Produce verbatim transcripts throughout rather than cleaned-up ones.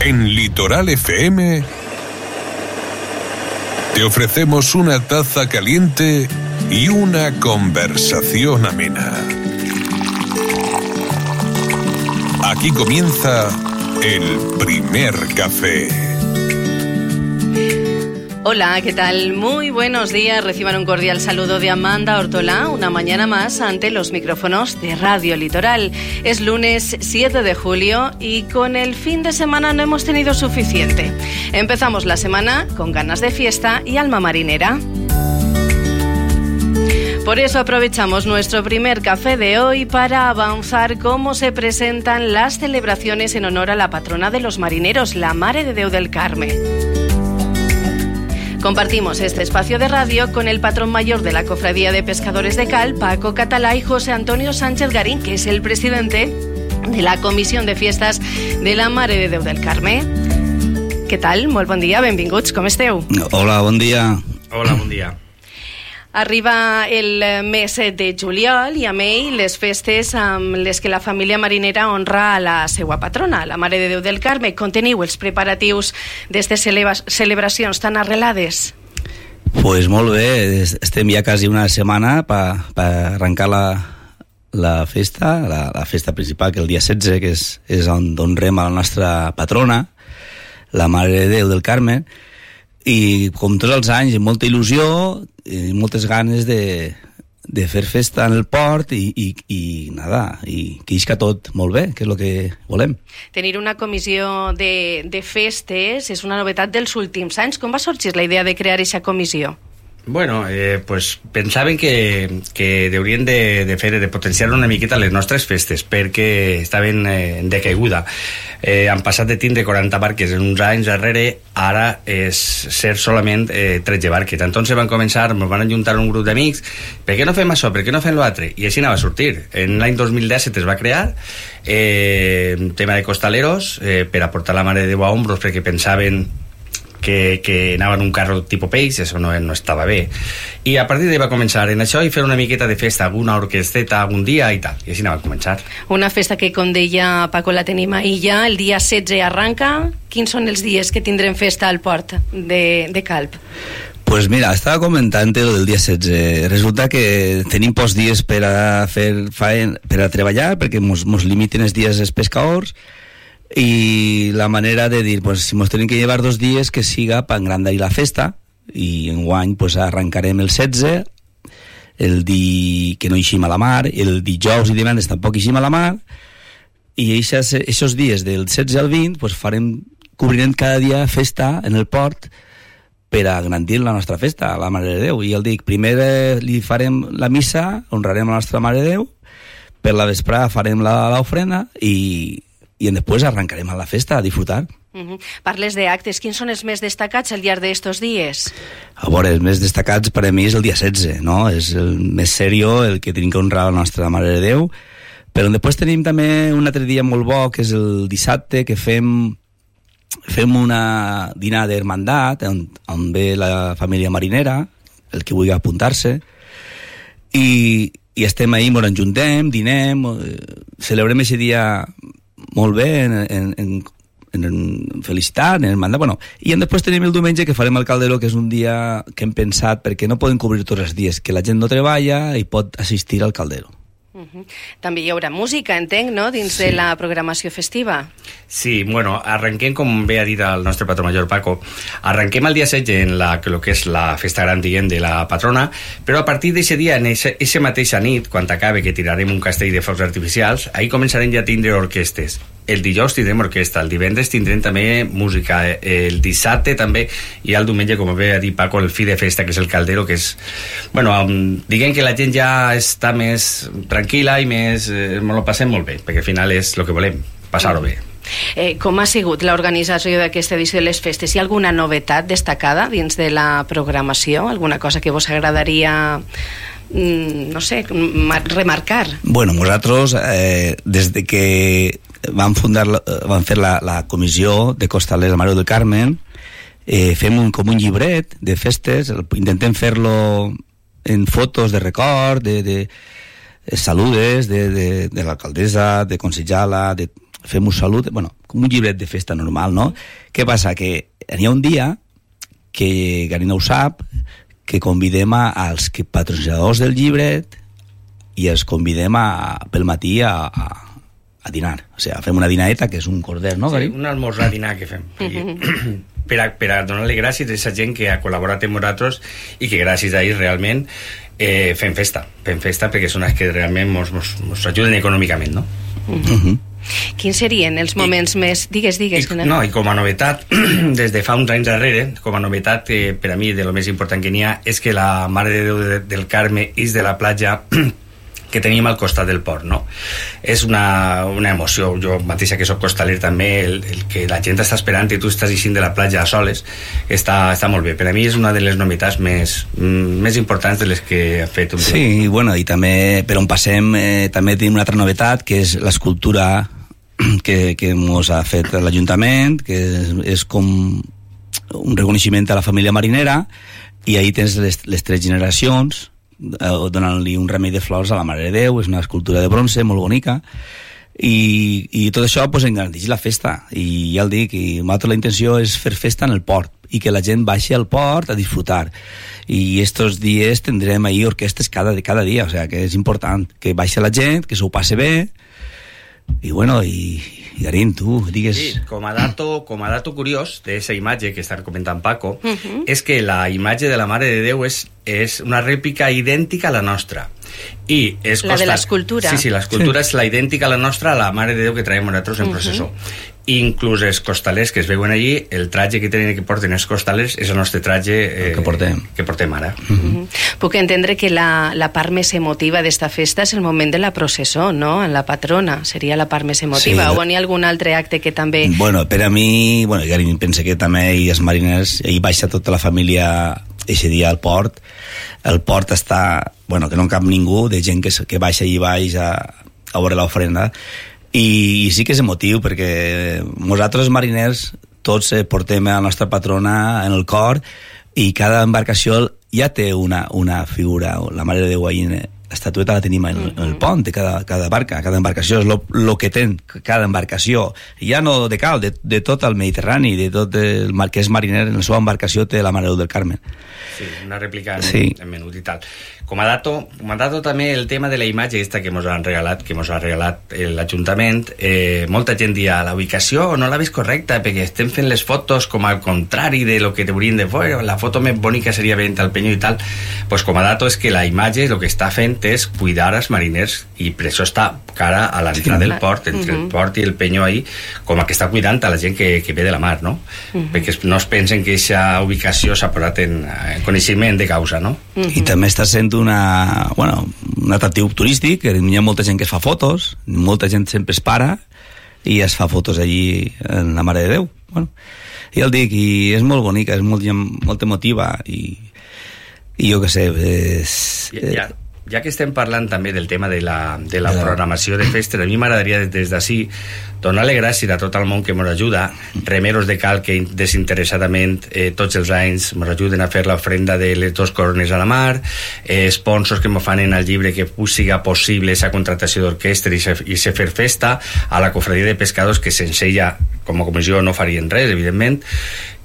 En Litoral F M te ofrecemos una taza caliente y una conversación amena. Aquí comienza el primer café. Hola, ¿qué tal? Muy buenos días. Reciban un cordial saludo de Amanda Ortolá, una mañana más ante los micrófonos de Radio Litoral. Es lunes siete de julio y con el fin de semana no hemos tenido suficiente. Empezamos la semana con ganas de fiesta y alma marinera. Por eso aprovechamos nuestro primer café de hoy para avanzar cómo se presentan las celebraciones en honor a la patrona de los marineros, la Mare de Déu del Carme. Compartimos este espacio de radio con el patrón mayor de la Cofradía de Pescadores de Cal, Paco Catalá, y José Antonio Sánchez Garín, que es el presidente de la Comisión de Fiestas de la Mare de Déu del Carme. Què tal? Molt bon dia, benvinguts, com esteu? Hola, bon dia. Hola, bon dia. Arriba el mes de juliol i amb ell les festes amb les que la família marinera honra a la seva patrona, la Mare de Déu del Carme. Com teniu els preparatius d'aquestes celebracions tan arrelades? Pues molt bé, estem ja quasi una setmana per pa arrencar la, la festa, la, la festa principal, que el dia setze, que és, és on honrem a la nostra patrona, la Mare de Déu del Carme, i com tots els anys, amb molta il·lusió i moltes ganes de, de fer festa en el port i, i, i nada, i que isca tot molt bé, que és el que volem. Tenir una comissió de, de festes és una novetat dels últims anys. Com va sorgir la idea de crear aquesta comissió? Bueno, eh, pues pensaven que, que haurien de, de fer, de potenciar una miqueta les nostres festes, perquè estaven eh, en decaiguda. Eh, han passat de tindre quaranta barques en uns anys darrere, ara és ser solament eh, tretze barques. Entonces van començar, ens van ajuntar un grup d'amics, per què no fem això, per què no fem l'altre? I així anava a sortir. En l'any dos mil disset es va crear eh, un tema de costaleros eh, per aportar la Mare de Déu a hombros, perquè pensaven que, que anaven un carro tipus peix, això no, no estava bé. I a partir d'ahí va començar en això i fer una miqueta de festa, alguna orquesteta algun dia i tal, i així anava a començar. Una festa que, com deia Paco, la tenim ahir ja, el dia setze arranca. Quins són els dies que tindrem festa al port de, de Calp? Pues mira, estava comentant lo del dia setze. Resulta que tenim pocs dies per a fer faen, per a treballar, perquè mos, mos limiten els dies els pescadors, i la manera de dir, pues si mos tenim que llevar dos dies, que siga per engrandar la festa, i enguany pues arrencarem el setze, el di que no eixim a la mar, el dijous i divendres tampoc eixim a la mar, i aquests dies del setze al vint pues farem, cobrirem cada dia festa en el port per a engrandir la nostra festa, la Mare de Déu. I el dic, primer eh, li farem la missa, honrarem la nostra Mare de Déu, per la vesprada farem l'ofrena i i després arrencarem a la festa a disfrutar. Uh-huh. Parles d'actes, quins són els més destacats al llarg d'estos dies? A veure, els més destacats per a mi és el dia setze, no? És el més serio, el que tenim que honrar la nostra Mare de Déu, però després tenim també un altre dia molt bo, que és el dissabte, que fem fem una dinar d'hermandat, on, on ve la família marinera, el que vulgui apuntar-se, i, i estem ahí, ens enjuntem, dinem, celebrem aquest dia molt bé, en, en, en, en felicitat, en el mandat, bueno, i després tenim el diumenge que farem el Calderó, que és un dia que hem pensat, perquè no podem cobrir tots els dies, que la gent no treballa i pot assistir al Calderó. Uh-huh. També hi haurà música, entenc, no?, dins sí. de la programació festiva. Sí, bueno, arrenquem, com bé ha dit el nostre patró major Paco, arrenquem el dia setze en la, lo que és la festa gran, diguem, de la patrona, però a partir d'aquest dia, en aquesta mateixa nit, quan acabe que tirarem un castell de focs artificials, ahí començarem ja a tindre orquestes. El dijous tindrem orquestra, el divendres tindrem també música, el dissabte també, i el diumenge, com bé ha dit Paco, el fi de festa, que és el Caldero, que és... Bueno, um, diguem que la gent ja està més tranquil·la i més... Eh, lo passem molt bé, perquè al final és el que volem, passar-ho bé. Eh, com ha sigut l'organització d'aquesta edició de les festes? Hi ha alguna novetat destacada dins de la programació? Alguna cosa que vos agradaria... no sé, remarcar? Bueno, nosaltres, eh, des de que vam fundar, vam fer la, la comissió de costalers de Mare del Carme, eh, fem un, com un llibret de festes, intentem fer-lo en fotos de record, de, de saludes de, de, de l'alcaldessa, de consellala, de fem un salut, bueno, com un llibret de festa normal, no? Què passa? Que hi ha un dia que Garina ho sap, que convidem a, als que patrocinadors del llibret i els convidem a, pel matí a, a, a dinar. O sigui, fem una dinaeta, que és un corder, no, sí, Garín? un almorzar dinar que fem. per, a, per a donar-li gràcies a aquesta gent que ha col·laborat amb nosaltres i que gràcies a ells realment eh, fem festa. Fem festa perquè són els que realment mos, mos, mos ajuden econòmicament, no? Uh -huh. Quins serien els moments I, més... Digues, digues. I, no, i com a novetat, des de fa uns anys darrere, com a novetat, eh, per a mi, de lo més important que n'hi ha, és que la Mare de Déu de, del Carme és de la platja que tenim al costat del port, no? És una, una emoció, jo mateixa que soc costaler també, el, el que la gent està esperant i tu estàs eixint de la platja a soles, està, està molt bé. Per a mi és una de les novetats més, més importants de les que ha fet un Sí, i bueno, i també, per on passem, eh, també tenim una altra novetat, que és l'escultura que, que ens ha fet l'Ajuntament, que és, és com un reconeixement a la família marinera, i ahí tens les, les tres generacions donant-li un remei de flors a la Mare de Déu. És una escultura de bronze molt bonica, i, i tot això pues, engrandeix la festa, i ja el dic, i nosaltres la intenció és fer festa en el port i que la gent baixi al port a disfrutar, i estos dies tindrem ahí orquestes cada, cada dia, o sea que és important que baixi la gent, que s'ho passe bé. I bueno, i, i Garín, tu digues... Sí, com a dato, com a dato curiós d'aquesta imatge que està comentant Paco, uh-huh. és que la imatge de la Mare de Déu és, és una rèplica idèntica a la nostra. I és la costat... de l'escultura. Sí, sí, l'escultura sí. és la idèntica a la nostra, a la Mare de Déu que traiem nosaltres en uh-huh. processó. Inclús els costalers que es veuen allí, el tratge que tenen que porten els costalers és el nostre tratge eh, que portem, que portem ara. Uh-huh. Uh-huh. Puc entendre que la, la part més emotiva d'esta festa és el moment de la processó, no? En la patrona seria la part més emotiva, sí, o hi ha algun altre acte que també... Bueno, per a mi, bueno, Garín, pensa que també hi els mariners, hi baixa tota la família eixe dia al port. El port està, bueno, que no en cap ningú, de gent que, que baixa i baix a, a veure l'ofrenda. I, i sí que és emotiu, perquè nosaltres mariners tots eh, portem a la nostra patrona en el cor, i cada embarcació ja té una, una figura, la Mare de Déu ahí, l'estatueta la tenim en, en el pont de cada, cada barca, cada embarcació és el que té cada embarcació, ja no de cal, de, de tot el Mediterrani, de tot el mar, que és mariner, en la seva embarcació té la Mare de Déu del Carme. Sí, una rèplica en, sí. en menut i tal. Com a dato, com a dato també el tema de la imatge aquesta que ens han regalat, que ens ha regalat l'Ajuntament, eh, molta gent dia la ubicació no la veus correcta perquè estem fent les fotos com al contrari de lo que t'haurien de fer, la foto més bonica seria veient el penyo i tal. Pues com a dato és que la imatge el que està fent és cuidar els mariners, i per això està cara a l'entrada del port, entre uh-huh. el port i el penyo ahí, com a que està cuidant a la gent que, que ve de la mar, no? Uh-huh. Perquè no es pensen que aquesta ubicació s'ha posat en, en coneixement de causa, no? Uh-huh. I també està sent una, bueno, un atractiu turístic, que hi ha molta gent que es fa fotos, molta gent sempre es para i es fa fotos allí en la Mare de Déu. Bueno, i el dic, i és molt bonica, és molt, molt emotiva, i, i jo què sé, és... Ja, ja. Ja que estem parlant també del tema de la, de la programació de festes, a mi m'agradaria des d'ací donar-li gràcies a tot el món que ens ajuda, remeros de cal que desinteressadament eh, tots els anys ens ajuden a fer l'ofrenda de les dos corones a la mar, eh, sponsors que ens fan en el llibre que siga possible aquesta contractació d'orquestra i se fer festa, a la cofradia de pescadors que sense ella com a comissió no farien res, evidentment.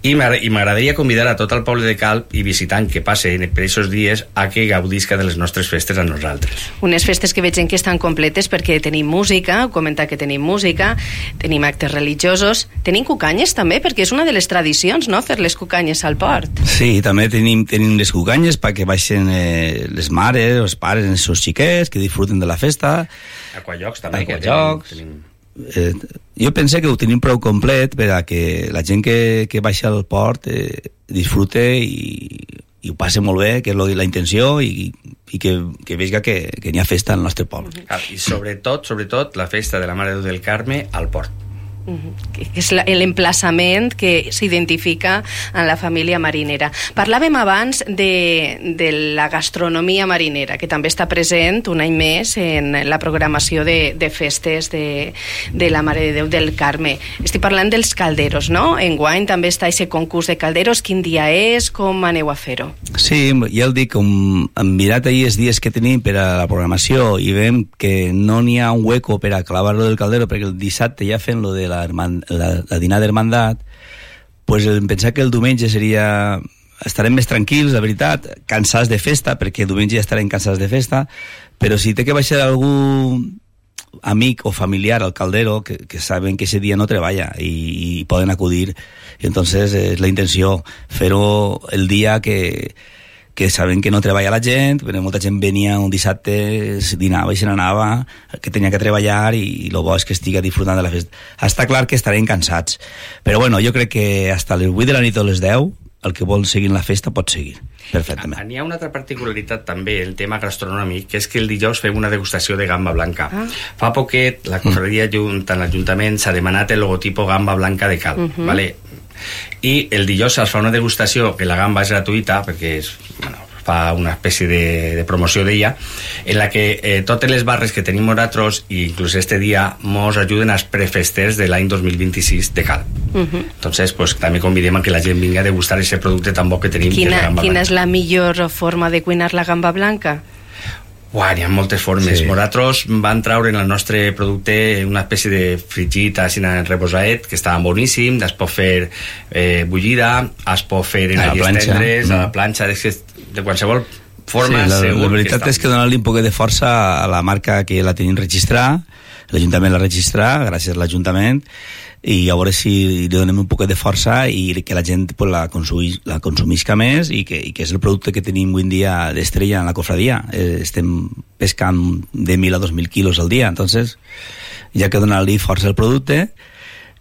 I m'agradaria convidar a tot el poble de Calp i visitant que passe per aquests dies a que gaudisca de les nostres festes a nosaltres. Unes festes que veiem que estan completes perquè tenim música, ho comenta que tenim música, tenim actes religiosos, tenim cucanyes també, perquè és una de les tradicions, no?, fer les cucanyes al port. Sí, també tenim, tenim les cucanyes perquè baixen eh, les mares, els pares, els seus xiquets, que disfruten de la festa. Aquallocs també. Aquallocs. Tenim... Eh, jo pense que ho tenim prou complet per a que la gent que, que baixa al port eh, disfrute i, i ho passe molt bé, que és la intenció, i, i que, que vegi que, que n'hi ha festa al nostre poble. I sobretot, sobretot la festa de la Mare de Déu del Carme al port. que és l'emplaçament que s'identifica en la família marinera. Parlàvem abans de, de la gastronomia marinera, que també està present un any més en la programació de, de festes de, de la Mare de Déu del Carme. Estic parlant dels calderos, no? Enguany també està aquest concurs de calderos. Quin dia és? Com aneu a fer-ho? Sí, ja el dic, com hem mirat ahir els dies que tenim per a la programació i veiem que no n'hi ha un hueco per a clavar-lo del caldero, perquè el dissabte ja fent lo de la, la, la dinar d'hermandat, pues em pensar que el diumenge seria... estarem més tranquils, la veritat, cansats de festa, perquè diumenge ja estarem cansats de festa, però si té que baixar algú amic o familiar al caldero, que, que saben que ese dia no treballa i, i poden acudir, i entonces és la intenció fer-ho el dia que que saben que no treballa la gent, perquè molta gent venia un dissabte, dinava i se n'anava, que tenia que treballar, i el bo és que estigui disfrutant de la festa. Està clar que estarem cansats, però bueno, jo crec que hasta les vuit de la nit o les deu, el que vol seguir la festa pot seguir perfectament. N'hi ha una altra particularitat també, el tema gastronòmic, que és que el dijous fem una degustació de gamba blanca. Ah. Fa poquet la cofradia mm. tant l'Ajuntament s'ha demanat el logotipo gamba blanca de cal, uh-huh. vale? I el dijous es fa una degustació, que la gamba és gratuïta, perquè és, bueno, fa una espècie de, de promoció d'ella, en la que eh, totes les barres que tenim nosaltres, i inclús este dia, mos ajuden als prefesters de l'any dos mil vint-i-sis de cal. Uh-huh. Entonces, pues, també convidem a que la gent vingui a degustar aquest producte tan bo que tenim. Quina, que és la gamba quina blanca. És la millor forma de cuinar la gamba blanca? Uah, hi ha moltes formes. Sí. Nosaltres van treure en el nostre producte una espècie de fregit així en reposaet, que estava boníssim, es pot fer eh, bullida, es pot fer en alles tendres, mm. a la planxa, de qualsevol forma. Sí, la, segur la veritat que és que donar-li un poc de força a la marca que la tenim registrar, l'Ajuntament la registrar, gràcies a l'Ajuntament, i a veure si li donem un poc de força i que la gent pues, la, consumís, la consumisca més, i que, i que és el producte que tenim avui en dia d'estrella en la cofradia. Eh, estem pescant de mil a dos mil quilos al dia, entonces ja que donar-li força al producte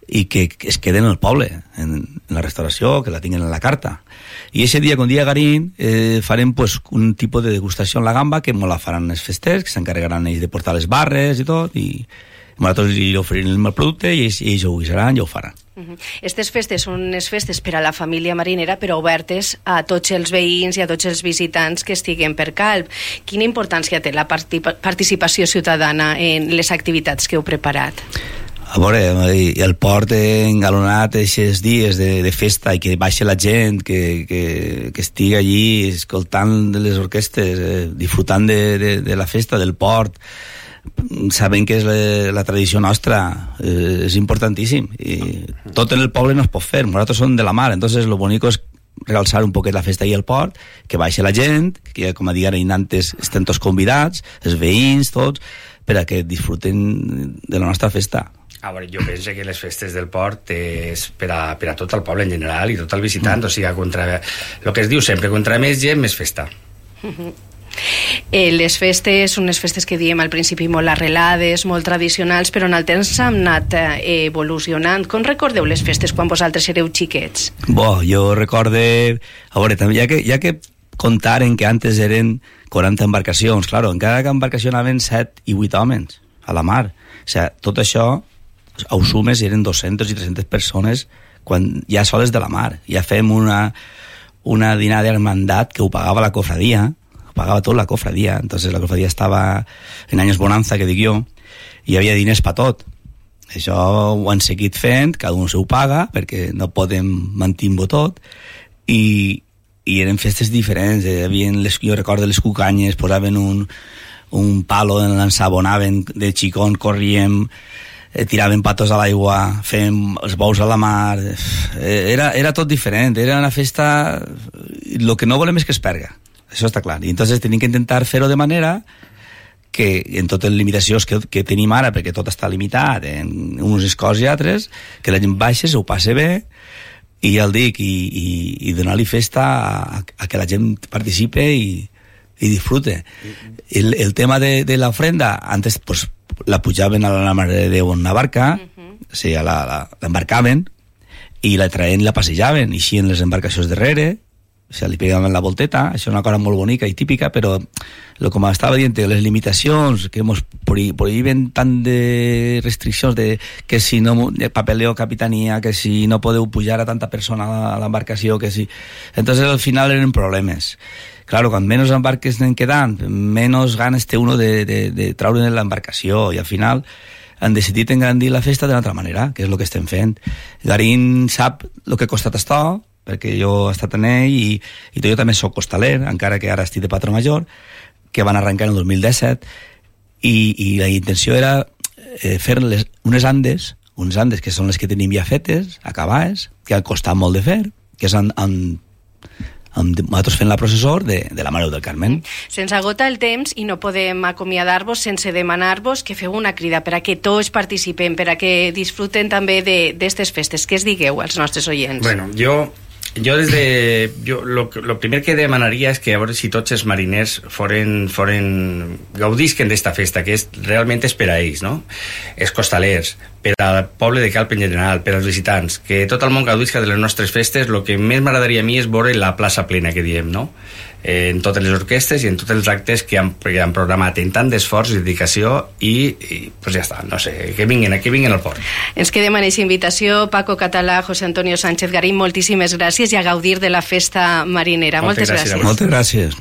i que, que es queden al poble, en, en la restauració, que la tinguin en la carta. I aquest dia, com dia Garín, eh, farem pues, un tipus de degustació en la gamba, que molt la faran els festers, que s'encarregaran ells de portar les barres i tot, i nosaltres li oferirem el producte i ells, ells ho guisaran i ho faran. Uh-huh. Estes festes són unes festes per a la família marinera, però obertes a tots els veïns i a tots els visitants que estiguen per Calp. Quina importància té la partip- participació ciutadana en les activitats que heu preparat? A veure, el port engalonat aquests dies de, de festa, i que baixa la gent, que, que, que estigui allí escoltant les orquestes, eh, disfrutant de, de, de la festa, del port, sabent que és la, la tradició nostra, eh, és importantíssim, i tot en el poble no es pot fer, nosaltres som de la mar, entonces lo bonico és realçar un poquet la festa i el port, que baixa la gent, que com a dir antes estem tots convidats, els veïns tots, per a que disfruten de la nostra festa. A veure, jo penso que les festes del port és per a, per a tot el poble en general i tot el visitant, mm. o sigui, contra, el que es diu sempre, contra més gent, més festa. Mm-hmm. Eh, les festes són unes festes que diem al principi molt arrelades, molt tradicionals, però en el temps s'han anat eh, evolucionant. Com recordeu les festes quan vosaltres éreu xiquets? Bo, jo recorde... A veure, també, ja que, ja que contaren que antes eren quaranta embarcacions, claro, en cada embarcació anaven set i vuit homes a la mar. O sigui, tot això, ho sumes, eren dues-centes i tres-centes persones quan ja soles de la mar. Ja fem una, una dinar d'hermandat que ho pagava la cofradia, pagava tot la cofradia, entonces la cofradia estava en anys bonanza, que dic jo, i hi havia diners per tot. Això ho han seguit fent, cada un se ho paga, perquè no podem mantenir-ho tot, i, i eren festes diferents. Hi havia les, jo recordo les cucanyes, posaven un, un palo, l'ensabonaven de xicón, corríem, eh, tiraven patos a l'aigua, fèiem els bous a la mar, eh, era, era tot diferent, era una festa... El que no volem és que es perga. Això està clar. I entonces tenim que intentar fer-ho de manera que en totes les limitacions que, que tenim ara, perquè tot està limitat en unes coses i altres, que la gent baixa, s'ho passe bé, i ja el dic, i, i, i donar-li festa a, a que la gent participe i, i disfrute. El, el tema de, de l'ofrenda, antes pues, la pujaven a la Mare de Déu en una barca, uh-huh. o sigui, la, la, l'embarcaven, i la traien i la passejaven, i així en les embarcacions darrere, o sigui, li pegaven la volteta, això és una cosa molt bonica i típica, però lo com estava dient, les limitacions que ens prohíben tant de restriccions de que si no, de papeleo capitanía, que si no podeu pujar a tanta persona a l'embarcació, que si... Entonces al final eren problemes. Claro, quan menys embarques anem quedant, menys ganes té uno de, de, de treure l'embarcació, i al final han decidit engrandir la festa d'una altra manera, que és el que estem fent. Garín sap el que ha costat això, perquè jo he estat en ell i, i jo també soc costaler, encara que ara estic de patró major, que van arrencar en el dos mil disset, i, i la intenció era eh, fer les, unes andes, unes andes que són les que tenim ja fetes, acabades, que ha costat molt de fer, que és amb, amb, amb nosaltres fent la processó de, de la Mare del Carmen. Se'ns agota el temps i no podem acomiadar-vos sense demanar-vos que feu una crida per a que tots participem, per a que disfruten també d'aquestes festes. Què es digueu als nostres oients? Bueno, jo... Jo des de... Jo, lo, lo primer que demanaria és que a veure si tots els mariners foren, foren gaudisquen d'esta festa, que és, realment és per a ells, no? Els costalers, per al poble de Calp en general, per als visitants, que tot el món gaudisca de les nostres festes. El que més m'agradaria a mi és veure la plaça plena, que diem, no? Eh, en totes les orquestes i en tots els actes que han, que han programat en tant d'esforç i dedicació i, i pues ja està, no sé, que vinguin, que vinguin al port. Ens quedem en aquesta invitació. Paco Català, José Antonio Sánchez Garín, moltíssimes gràcies i a gaudir de la festa marinera. Moltes, Moltes gràcies. gràcies. Moltes gràcies.